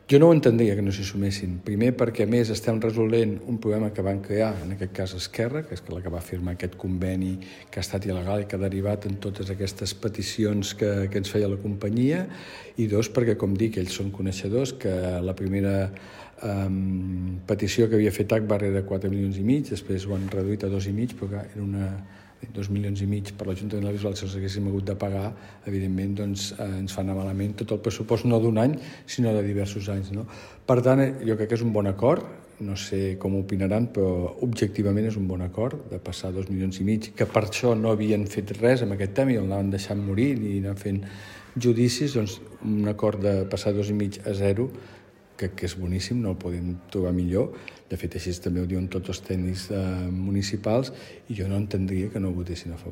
Jo no ho entendria que no s'hi sumessin. Primer perquè, a més, estem resolent un problema que van crear, en aquest cas Esquerra, que és la que va firmar aquest conveni que ha estat il·legal i que ha derivat en totes aquestes peticions que ens feia la companyia, i dos, perquè, com dic, ells són coneixedors que la primera petició que havia fet Agbar era 4,5 milions, després ho han reduït a 2,5, però era 2,5 milions per l'Ajuntament de la Bisbal. Si els haguéssim hagut de pagar, evidentment doncs, ens fa anar malament tot el pressupost, no d'un any, sinó de diversos anys. No? Per tant, jo crec que és un bon acord, no sé com opinaran, però objectivament és un bon acord de passar 2,5 milions, que per això no havien fet res amb aquest tema i el anaven deixant morir i anaven fent judicis, doncs un acord de passar 2,5 a 0, que és boníssim, no el podem trobar millor. De fet, així també ho diuen tots els tècnics municipals, i jo no entendria que no ho votessin a favor.